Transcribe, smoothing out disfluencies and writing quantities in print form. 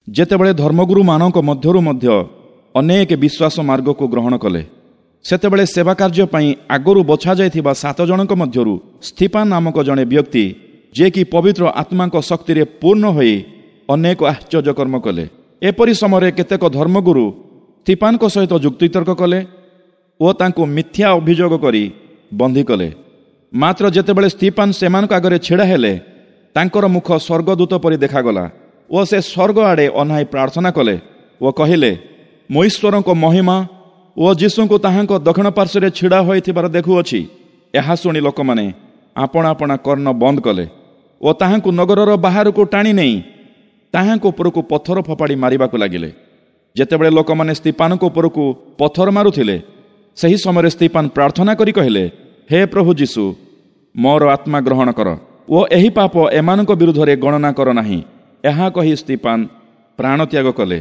ଯେତେବେଳେ ଧର୍ମଗୁରୁମାନଙ୍କ ମଧ୍ୟରୁ ମଧ୍ୟ ଅନେକ ବିଶ୍ୱାସ ମାର୍ଗକୁ ଗ୍ରହଣ କଲେ, ସେତେବେଳେ ସେବା କାର୍ଯ୍ୟ ପାଇଁ ଆଗରୁ ବଛାଯାଇଥିବା 7 ଜଣଙ୍କ ମଧ୍ୟରୁ ସ୍ଥିପାନ ନାମକ ଜଣେ ବ୍ୟକ୍ତି, ଯିଏକି ପବିତ୍ର ଆତ୍ମାଙ୍କ ଶକ୍ତିରେ ପୂର୍ଣ୍ଣ ହୋଇ ଅନେକ ଆଶ୍ଚର୍ଯ୍ୟ କର୍ମ କଲେ। ଏପରି ସମୟରେ କେତେକ ଧର୍ମଗୁରୁ ସ୍ଥିପାନଙ୍କ ସହିତ ଯୁକ୍ତିତର୍କ କଲେ ଓ ତାଙ୍କୁ ମିଥ୍ୟା ଅଭିଯୋଗ କରି ବନ୍ଦୀ କଲେ। ମାତ୍ର ଯେତେବେଳେ ସ୍ଥିପାନ ସେମାନଙ୍କ ଆଗରେ ଛିଡ଼ା ହେଲେ, ତାଙ୍କର ମୁଖ ସ୍ୱର୍ଗଦୂତ ପରି ଦେଖାଗଲା ଓ ସେ ସ୍ୱର୍ଗ ଆଡ଼େ ଅନାଇ ପ୍ରାର୍ଥନା କଲେ ଓ କହିଲେ, ମୁଁ ଈଶ୍ୱରଙ୍କ ମହିମା ଓ ଯୀଶୁଙ୍କୁ ତାହାଙ୍କ ଦକ୍ଷିଣ ପାର୍ଶ୍ୱରେ ଛିଡ଼ା ହୋଇଥିବାର ଦେଖୁଅଛି। ଏହା ଶୁଣି ଲୋକମାନେ ଆପଣା ଆପଣା କର୍ଣ୍ଣ ବନ୍ଦ କଲେ ଓ ତାହାଙ୍କୁ ନଗରର ବାହାରକୁ ଟାଣି ନେଇ ତାହାଙ୍କ ଉପରକୁ ପଥର ଫୋପାଡ଼ି ମାରିବାକୁ ଲାଗିଲେ। ଯେତେବେଳେ ଲୋକମାନେ ସ୍ଥିପାନଙ୍କ ଉପରକୁ ପଥର ମାରୁଥିଲେ, ସେହି ସମୟରେ ସ୍ଥିପାନ ପ୍ରାର୍ଥନା କରି କହିଲେ, ହେ ପ୍ରଭୁ ଯୀଶୁ, ମୋର ଆତ୍ମା ଗ୍ରହଣ କର ଓ ଏହି ପାପ ଏମାନଙ୍କ ବିରୁଦ୍ଧରେ ଗଣନା କର ନାହିଁ। ଏହା କହି ସ୍ଥିପାନ ପ୍ରାଣତ୍ୟାଗ କଲେ।